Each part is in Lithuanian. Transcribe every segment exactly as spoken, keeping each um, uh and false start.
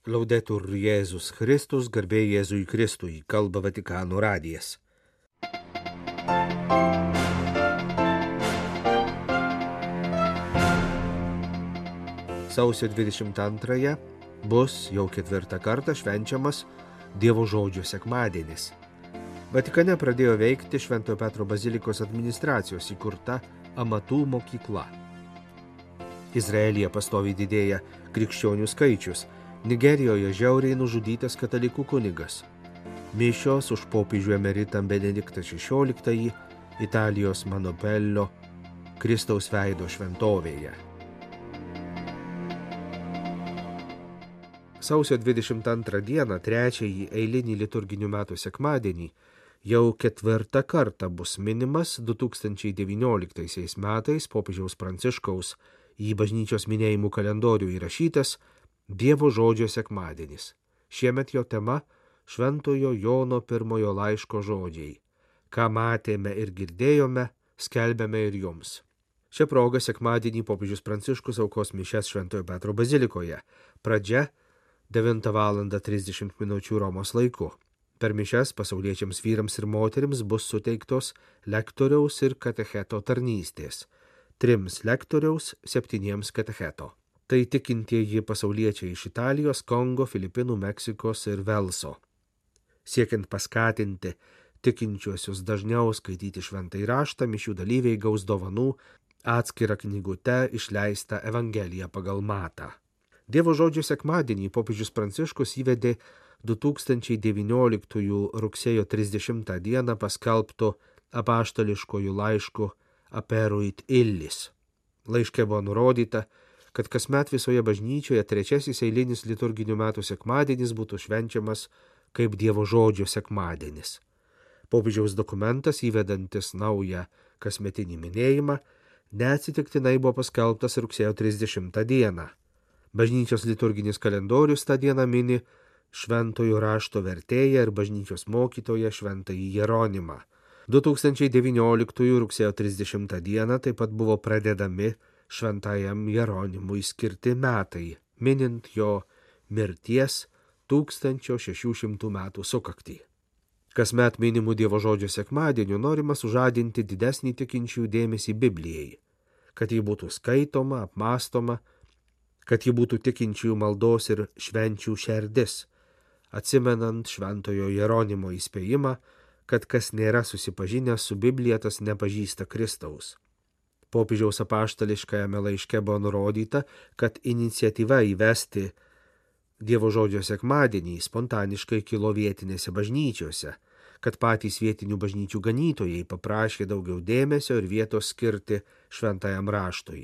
Laudetur Jėzus Kristus, garbė Jėzui Kristui, kalba Vatikano radijas. Sausio dvidešimt antrąją bus jau ketvirtą kartą švenčiamas Dievo žodžio sekmadienis. Vatikane pradėjo veikti Šventojo Petro bazilikos administracijos įkurta amatų mokykla. Izraelyje pastoviai didėja krikščionių skaičius. Nigerijoje žiauriai nužudytas katalikų kunigas. Mišios už popiežių emeritą Benediktą šešioliktąjį Italijos Manopello Kristaus veido šventovėje. Sausio dvidešimt antrą dieną, trečiąjį eilinį liturginių metų sekmadienį, jau ketvirtą kartą bus minimas du tūkstančiai devynioliktaisiais metais popiežiaus Pranciškaus į bažnyčios minėjimų kalendorių įrašytas Dievo žodžio sekmadienis. Šiemet jo tema Šventojo Jono pirmojo laiško žodžiai. Ką matėme ir girdėjome, skelbėme ir jums. Šią progą sekmadienį popiežius Pranciškus aukos mišias Šventojo Petro bazilikoje. Pradžia devintą valandą trisdešimt minučių Romos laiku. Per mišias pasauliečiams vyrams ir moterims bus suteiktos lektoriaus ir katecheto tarnystės. Trims lektoriaus, septyniems katecheto. Tai tikintieji pasauliečiai iš Italijos, Kongo, Filipinų, Meksikos ir Velso. Siekiant paskatinti tikinčiuosius dažniau skaityti šventąjį raštą, mišių dalyviai gaus dovanų atskirą knygutę išleistą Evangeliją pagal Matą. Dievo žodžio sekmadienį popiežius Pranciškus įvedė du tūkstančiai devynioliktųjų rugsėjo trisdešimtą dieną paskelbto apaštališkojų laiškų Aperuit illis. Laiške buvo nurodyta, kad kasmet visoje bažnyčioje trečiasis eilinis liturginių metų sekmadienis būtų švenčiamas kaip Dievo žodžio sekmadienis. Popiežiaus dokumentas įvedantis naują kasmetinį minėjimą neatsitiktinai buvo paskelbtas rugsėjo trisdešimtą dieną. Bažnyčios liturginis kalendorius tą dieną mini šventojo rašto vertėją ir bažnyčios mokytoją šventąjį Jeronimą. du tūkstančiai devynioliktųjų rugsėjo trisdešimtą dieną taip pat buvo pradedami šventajam Jeronimui skirti metai, minint jo mirties tūkstančio šešių šimtų metų sukaktį. Kasmet minimų Dievo žodžio sekmadieniu norima sužadinti didesnį tikinčiųjų dėmesį Biblijai, kad ji būtų skaitoma, apmąstoma, kad ji būtų tikinčiųjų maldos ir švenčių šerdis, atsimenant šventojo Jeronimo įspėjimą, kad kas nėra susipažinęs su Biblija, tas nepažįsta Kristaus. Popiežiaus apaštališkajame laiške buvo nurodyta, kad iniciatyva įvesti Dievo žodžio sekmadienį spontaniškai kilo vietinėse bažnyčiose, kad patys vietinių bažnyčių ganytojai paprašė daugiau dėmesio ir vietos skirti šventajam raštui.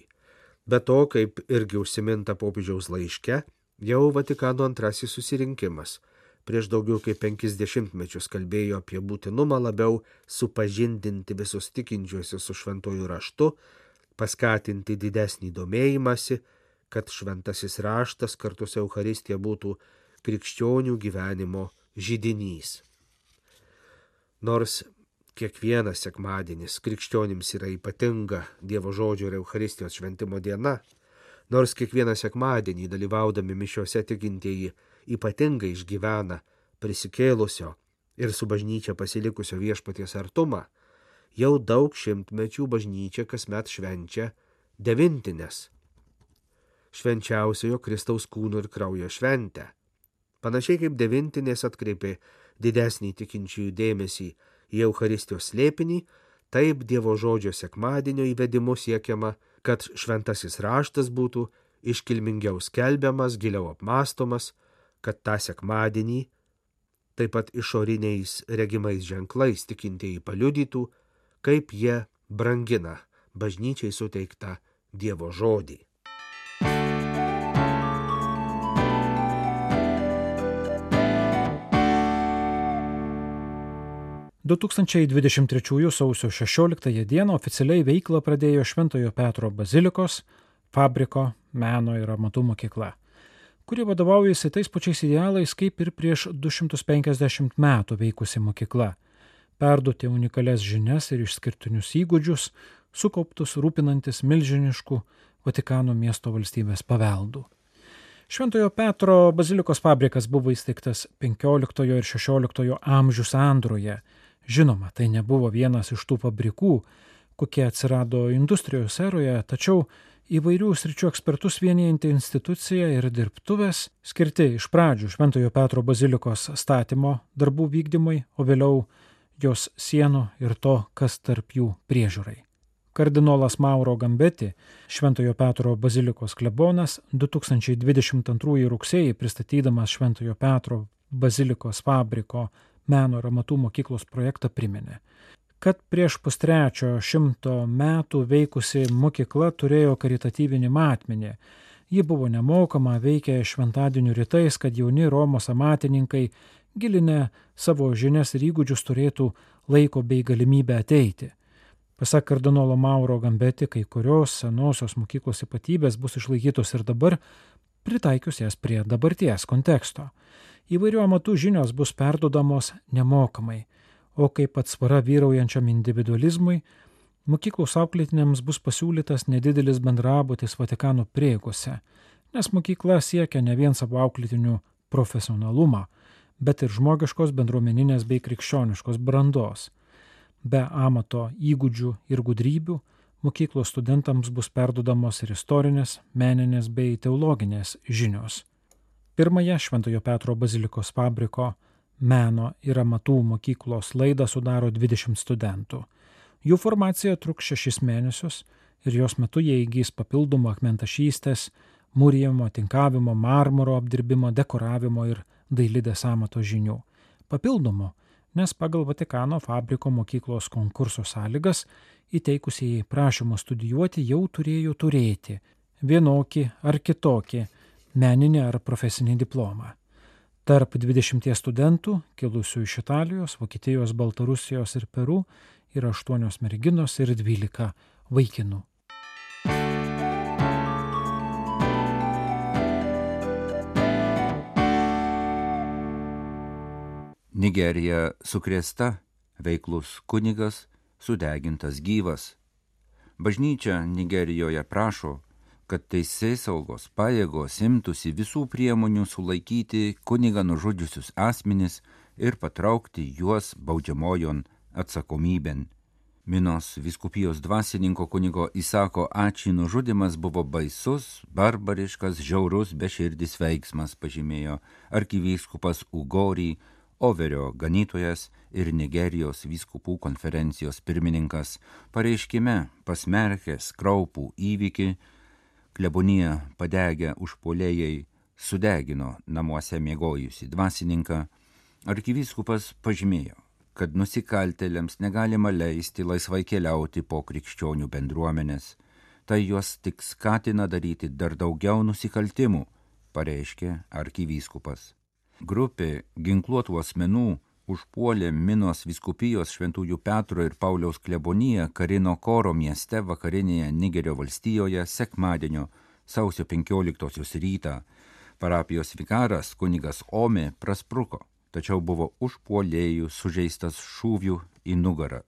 Be to, kaip irgi užsiminta popiežiaus laiške, jau Vatikano antrasis susirinkimas prieš daugiau kaip penkis dešimtmečius kalbėjo apie būtinumą labiau supažindinti visus tikinčiuosius su šventuoju raštu, paskatinti didesnį domėjimąsi, kad šventasis raštas kartu su Eucharistija būtų krikščionių gyvenimo židinys. Nors kiekvienas sekmadienis krikščionims yra ypatinga Dievo žodžio ir Eucharistijos šventimo diena, nors kiekvieną sekmadienį dalyvaudami mišiose tikintieji ypatingai išgyvena prisikėlusio ir su bažnyčia pasilikusio viešpaties artumą, jau daug šimtmečių bažnyčia kasmet švenčia devintines, švenčiausiojo Kristaus kūno ir kraujo šventę. Panašiai kaip devintinės atkreipė didesnį tikinčiųjų dėmesį į Eucharistijos slėpinį, taip Dievo žodžio sekmadienio įvedimu siekiama, kad šventasis raštas būtų iškilmingiau skelbiamas, giliau apmąstomas, kad tą sekmadienį taip pat išoriniais regimais ženklais tikintieji paliudytų, kaip jie brangina bažnyčiai suteiktą Dievo žodį. du tūkstančiai dvidešimt trečiųjų sausio šešioliktąją dieną oficialiai veiklą pradėjo Šventojo Petro bazilikos, fabriko, meno ir amatų mokykla, kuri vadovaujasi tais pačiais idealais kaip ir prieš du šimtus penkiasdešimt metų veikusi mokykla – perduoti unikalias žinias ir išskirtinius įgūdžius, sukauptus rūpinantis milžinišku Vatikano miesto valstybės paveldu. Šventojo Petro bazilikos fabrikas buvo įsteigtas penkioliktojo ir šešioliktojo amžių sandūroje. Žinoma, tai nebuvo vienas iš tų fabrikų, kokie atsirado industrijos eroje, tačiau įvairių sričių ekspertus vienijanti institucija ir dirbtuvės skirti iš pradžių Šventojo Petro bazilikos statymo darbų vykdymui, o vėliau jos sienų ir to, kas tarp jų priežiūrai. Kardinolas Mauro Gambeti, Šventojo Petro bazilikos klebonas, du tūkstančiai dvidešimt antrųjų rugsėjį pristatydamas Šventojo Petro bazilikos fabriko meno ir amatų mokyklos projektą priminė, kad prieš pustrečio šimto metų veikusi mokykla turėjo karitatyvinį matmenį. Ji buvo nemokama, veikė šventadienių rytais, kad jauni Romos amatininkai, gilinę savo žinias ir įgūdžius, turėtų laiko bei galimybę ateiti. Pasak kardinolo Mauro Gambeti, kai kurios senosios mokyklos ypatybės bus išlaikytos ir dabar, pritaikius jas prie dabarties konteksto. Įvairių amatų žinios bus perdodamos nemokamai, o kaip atsvara vyraujančiam individualizmui, mokyklos auklėtiniams bus pasiūlytas nedidelis bendrabutis Vatikano prieigose, nes mokykla siekia ne vien savo auklėtinių profesionalumą, bet ir žmogiškos bendruomeninės bei krikščioniškos brandos. Be amato įgūdžių ir gudrybių, mokyklos studentams bus perdodamos ir istorinės, meninės bei teologinės žinios. Pirmąją Šventojo Petro bazilikos fabriko meno ir amatų mokyklos laidą sudaro dvidešimt studentų. Jų formacija truks šešis mėnesius ir jos metu jie įgys papildomų akmentašystės, mūrijimo, tinkavimo, marmuro apdirbimo, dekoravimo ir dailidės amato žinių. Papildomų, nes pagal Vatikano fabriko mokyklos konkurso sąlygas įteikusieji prašymą studijuoti jau turėjo turėti vienokį ar kitokį meninį ar profesinį diplomą. Tarp dvidešimties studentų, kilusių iš Italijos, Vokietijos, Baltarusijos ir Peru, yra aštuonios merginos ir dvylika vaikinų. Nigerija sukrėsta, veiklus kunigas sudegintas gyvas. Bažnyčia Nigerijoje prašo, kad teisėsaugos pajėgos imtųsi visų priemonių sulaikyti kunigą nužudžiusius asmenis ir patraukti juos baudžiamojon atsakomybėn. Minos vyskupijos dvasininko kunigo Isako Ači nužudymas buvo baisus, barbariškas, žiaurus, beširdis veiksmas, pažymėjo arkivyskupas Ugori, Overio ganytojas ir Nigerijos vyskupų konferencijos pirmininkas, pareiškime pasmerkęs kraupų įvykį. Klebonija padegę užpuolėjai sudegino namuose miegojusi dvasininką. Arkivyskupas pažymėjo, kad nusikaltėliams negalima leisti laisvai keliauti po krikščionių bendruomenės. Tai juos tik skatina daryti dar daugiau nusikaltimų, pareiškė arkivyskupas. Grupė ginkluotų asmenų užpuolė Minos vyskupijos Šventųjų Petro ir Pauliaus kleboniją Karino Koro mieste vakarinėje Nigerio valstijoje sekmadienio sausio penkioliktosios rytą. Parapijos vikaras kunigas Ome praspruko, tačiau buvo užpuolėjų sužeistas šūvių į nugarą.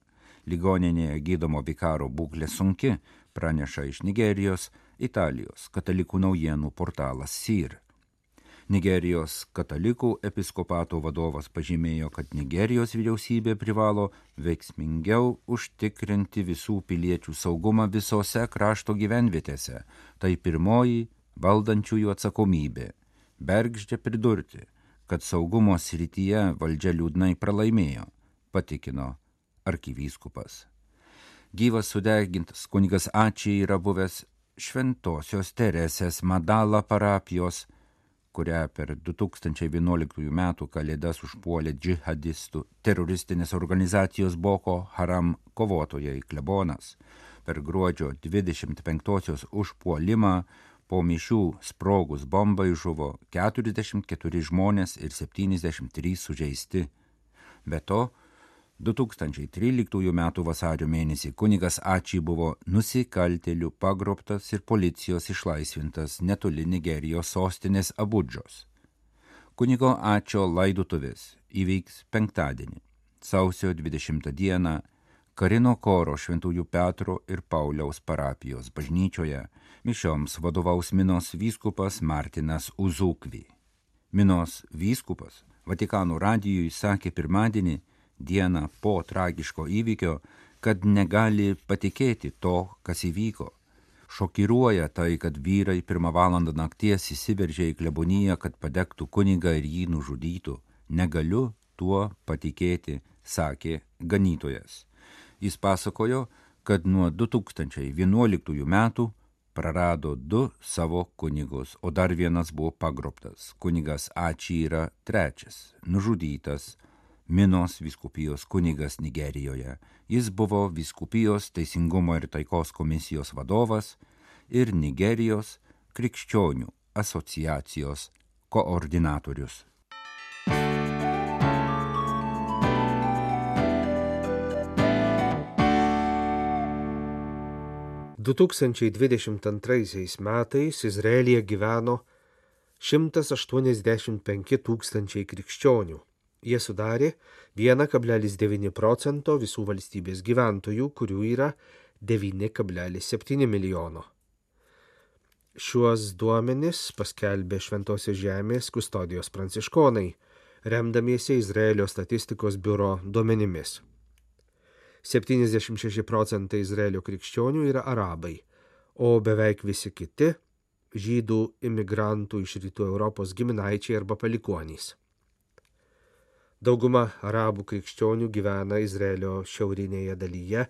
Ligoninėje gydomo vikaro būklė sunki, praneša iš Nigerijos Italijos katalikų naujienų portalas S I R. Nigerijos katalikų episkopato vadovas pažymėjo, kad Nigerijos vyriausybė privalo veiksmingiau užtikrinti visų piliečių saugumą visose krašto gyvenvietėse. Tai pirmoji valdančiųjų atsakomybė. Bergždžia pridurti, kad saugumo srityje valdžia liūdnai pralaimėjo, patikino arkivyskupas. Gyvas sudegintas kunigas Ači yra buvęs Šventosios Teresės Madala parapijos, kurią per du tūkstančiai vienuoliktųjų metų kalėdas užpuolė džihadistų teroristinės organizacijos Boko Haram kovotojai klebonas. Per gruodžio dvidešimt penktosios užpuolimą po mišių sprogus bombai žuvo keturiasdešimt keturi žmonės ir septyniasdešimt trys sužeisti. Be to, du tūkstančiai tryliktųjų metų vasario mėnesį kunigas Ači buvo nusikaltėlių pagrobtas ir policijos išlaisvintas netoli Nigerijos sostinės Abudžos. Kunigo Ačio laidotuvės įvyks penktadienį, sausio dvidešimtą dieną Karino koro Šventųjų Petro ir Pauliaus parapijos bažnyčioje mišioms vadovaus Minos vyskupas Martinas Uzukvi. Minos vyskupas Vatikano radijui sakė pirmadienį, dieną po tragiško įvykio, kad negali patikėti to, kas įvyko. Šokiruoja tai, kad vyrai pirmą valandą nakties įsiveržė į kleboniją, kad padegtų kunigą ir jį nužudytų. Negaliu tuo patikėti, sakė ganytojas. Jis pasakojo, kad nuo du tūkstančiai vienuoliktųjų metų prarado du savo kunigus, o dar vienas buvo pagrobtas. Kunigas Ači yra trečias, nužudytas Minos vyskupijos kunigas Nigerijoje. Jis buvo vyskupijos teisingumo ir taikos komisijos vadovas ir Nigerijos krikščionių asociacijos koordinatorius. du tūkstančiai dvidešimt antraisiais metais Izraelyje gyveno šimtas aštuoniasdešimt penki tūkstančiai krikščionių. Jie sudarė vienas kablelis devyni procento visų valstybės gyventojų, kurių yra devyni kablelis septyni milijono. Šiuos duomenis paskelbė Šventosios žemės kustodijos pranciškonai, remdamiesi Izraelio statistikos biuro duomenimis. septyniasdešimt šeši procentai Izraelio krikščionių yra arabai, o beveik visi kiti žydų imigrantų iš rytų Europos giminaičiai arba palikuonys. Dauguma arabų krikščionių gyvena Izraelio šiaurinėje dalyje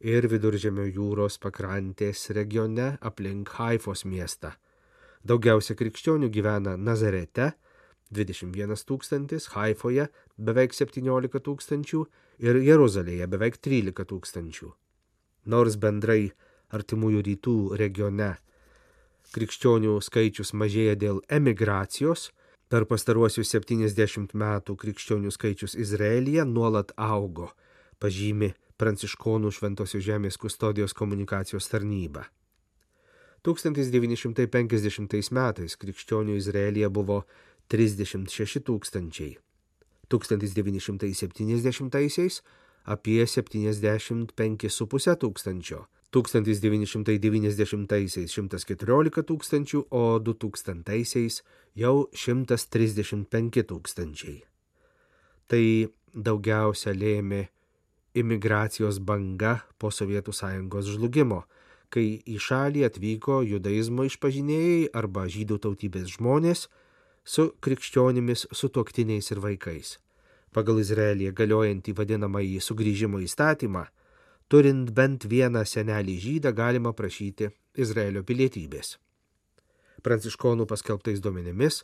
ir Viduržemio jūros pakrantės regione aplink Haifos miestą. Daugiausia krikščionių gyvena Nazarete dvidešimt vienas tūkstantis, Haifoje beveik septyniolika tūkstančių ir Jeruzalėje beveik trylika tūkstančių. Nors bendrai artimųjų rytų regione krikščionių skaičius mažėja dėl emigracijos, per pastaruosius septyniasdešimt metų krikščionių skaičius Izraelyje nuolat augo, pažymi Pranciškonų Šventosios žemės kustodijos komunikacijos tarnyba. tūkstantis devyni šimtai penkiasdešimtais metais krikščionių Izraelyje buvo trisdešimt šeši tūkstančiai. tūkstantis devyni šimtai septyniasdešimtaisiais apie septyniasdešimt penki su puse tūkstančio. tūkstantis devyni šimtai devyniasdešimtaisiais šimtas keturiolika tūkstančių, o du tūkstantaisiais jau šimtas trisdešimt penki tūkstančiai. Tai daugiausia lėmė imigracijos banga po Sovietų sąjungos žlugimo, kai į šalį atvyko judaizmo išpažinėjai arba žydų tautybės žmonės su krikščionimis sutuoktiniais ir vaikais. Pagal Izraelyje galiojantį vadinamąjį sugrįžimo įstatymą, turint bent vieną senelį žydą galima prašyti Izraelio pilietybės. Pranciškonų paskelbtais duomenimis,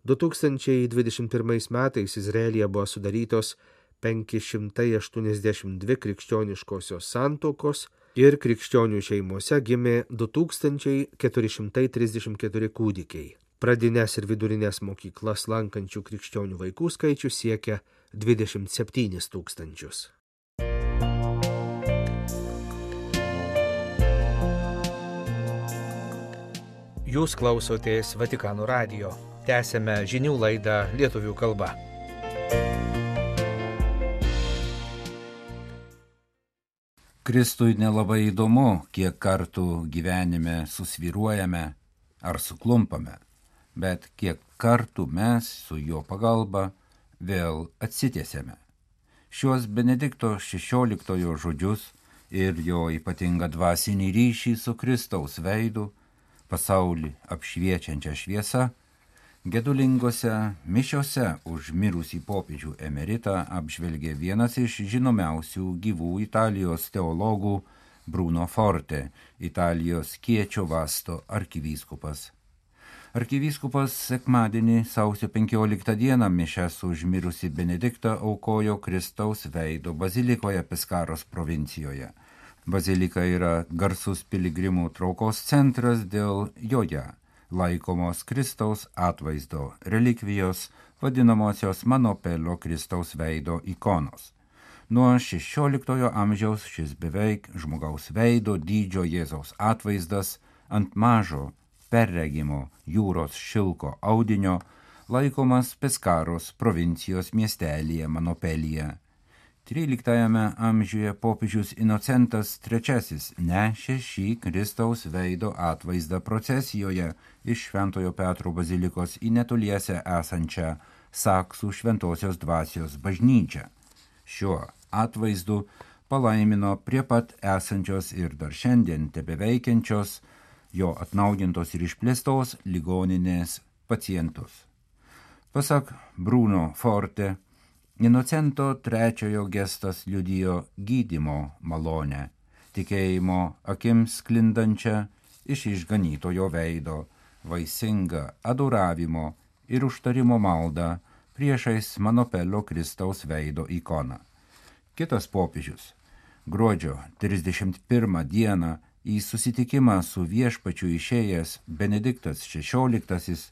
du tūkstančiai dvidešimt pirmais metais Izraelyje buvo sudarytos penki šimtai aštuoniasdešimt dvi krikščioniškosios santuokos ir krikščionių šeimose gimė du tūkstančiai keturi šimtai trisdešimt keturi kūdikiai. Pradines ir vidurinės mokyklas lankančių krikščionių vaikų skaičius siekia dvidešimt septynis tūkstančius. Jūs klausotės Vatikano radijo. Tęsėme žinių laidą lietuvių kalba. Kristui nelabai įdomu, kiek kartų gyvenime susvyruojame ar suklumpame, bet kiek kartų mes su jo pagalba vėl atsitiesėme. Šiuos Benedikto šešioliktojo žodžius ir jo ypatingą dvasinį ryšį su Kristaus veidu, pasaulį apšviečiančią šviesą, gedulingose mišiose už mirusį popiežių emeritą apžvelgė vienas iš žinomiausių gyvų Italijos teologų Bruno Forte, Italijos Kiečio Vasto arkivyskupas. Arkivyskupas sekmadienį sausio penkioliktą dieną mišias už mirusį Benediktą aukojo Kristaus veido bazilikoje Peskaros provincijoje. Bazilika yra garsus piligrimų traukos centras dėl joje laikomos Kristaus atvaizdo relikvijos, vadinamosios Manopelio Kristaus veido ikonos. Nuo šešioliktojo amžiaus šis beveik žmogaus veido dydžio Jėzaus atvaizdas ant mažo perregimo jūros šilko audinio laikomas Peskaros provincijos miestelyje Manopelyje. tryliktajame amžiuje popiežius Inocentas trečiasis nešė šį Kristaus veido atvaizdą procesijoje iš Šventojo Petro bazilikos į netoliese esančią Saksų Šventosios Dvasios bažnyčią. Šiuo atvaizdu palaimino prie pat esančios ir dar šiandien tebeveikiančios, jo atnaujintos ir išplėstos ligoninės pacientus. Pasak Bruno Forte, Inocento trečiojo gestas liudijo gydymo malonę, tikėjimo akims sklindančią iš išganytojo veido, vaisingą adoravimo ir užtarimo maldą priešais Manopelio Kristaus veido ikoną. Kitas popiežius gruodžio trisdešimt pirmą dieną į susitikimą su viešpačiu išėjęs Benediktas šešioliktasis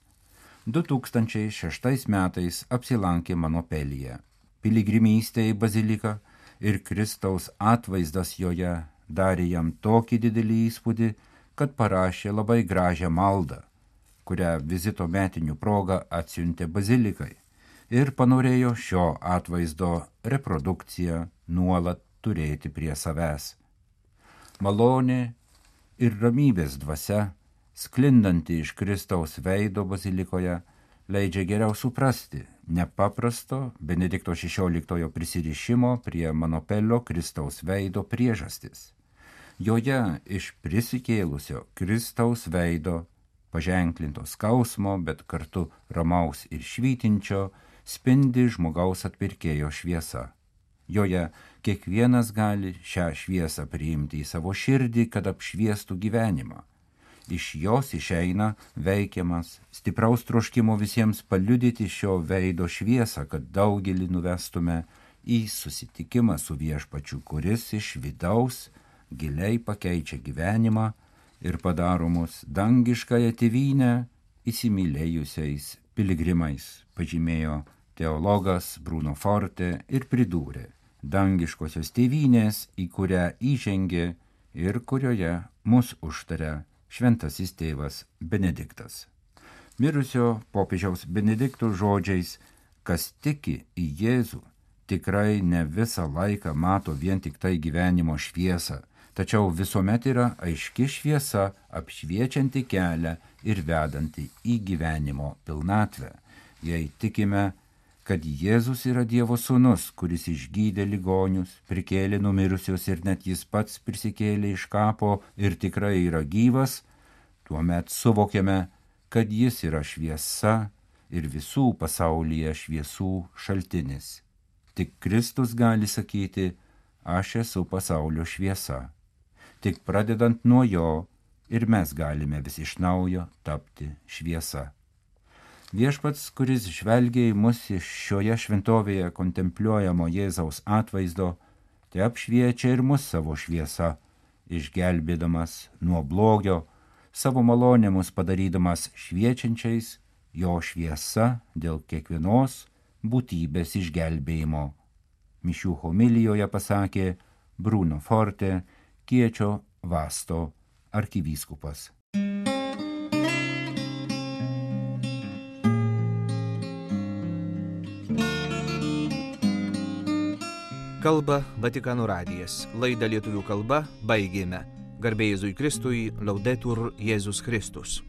du tūkstančiai šeštais metais apsilankė Manopelyje. Piligrimystė į baziliką ir Kristaus atvaizdas joje darė jam tokį didelį įspūdį, kad parašė labai gražią maldą, kurią vizito metinių proga atsiuntė bazilikai ir panorėjo šio atvaizdo reprodukciją nuolat turėti prie savęs. Malonė ir ramybės dvasia, sklindanti iš Kristaus veido bazilikoje, leidžia geriau suprasti nepaprasto Benedikto šešioliktojo prisirišimo prie Manopelio Kristaus veido priežastis. Joje iš prisikėlusio Kristaus veido, paženklinto skausmo, bet kartu ramaus ir švytinčio, spindi žmogaus atpirkėjo šviesa. Joje kiekvienas gali šią šviesą priimti į savo širdį, kad apšviestų gyvenimą. Iš jos išeina veikiamas stipraus troškimo visiems paliudyti šio veido šviesą, kad daugelį nuvestume į susitikimą su viešpačiu, kuris iš vidaus giliai pakeičia gyvenimą ir padaro mus dangiškąją tėvynę įsimylėjusiais piligrimais, pažymėjo teologas Bruno Forte ir pridūrė: dangiškosios tėvynės, į kurią įžengė ir kurioje mus užtaria šventasis tėvas Benediktas. Mirusio popiežiaus Benedikto žodžiais, kas tiki į Jėzų, tikrai ne visą laiką mato vien tik tai gyvenimo šviesą, tačiau visuomet yra aiški šviesa, apšviečianti kelią ir vedanti į gyvenimo pilnatvę. Jei tikime, kad Jėzus yra Dievo sūnus, kuris išgydė ligonius, prikėlė numirusius ir net jis pats prisikėlė iš kapo ir tikrai yra gyvas, tuomet suvokiame, kad jis yra šviesa ir visų pasaulyje šviesų šaltinis. Tik Kristus gali sakyti: aš esu pasaulio šviesa. Tik pradedant nuo jo ir mes galime vis iš naujo tapti šviesa. Viešpats, kuris žvelgia į mus iš šioje šventovėje kontempliuojamo Jėzaus atvaizdo, te apšviečia ir mus savo šviesa, išgelbėdamas nuo blogio, savo malonę mus padarydamas šviečiančiais, jo šviesa dėl kiekvienos būtybės išgelbėjimo. Mišių homilijoje pasakė Bruno Forte, Kiečio Vasto arkivyskupas. Kalba Vatikano radijas. Laidą lietuvių kalba baigėme. Garbė Jėzui Kristui, Laudetur Jėzus Kristus.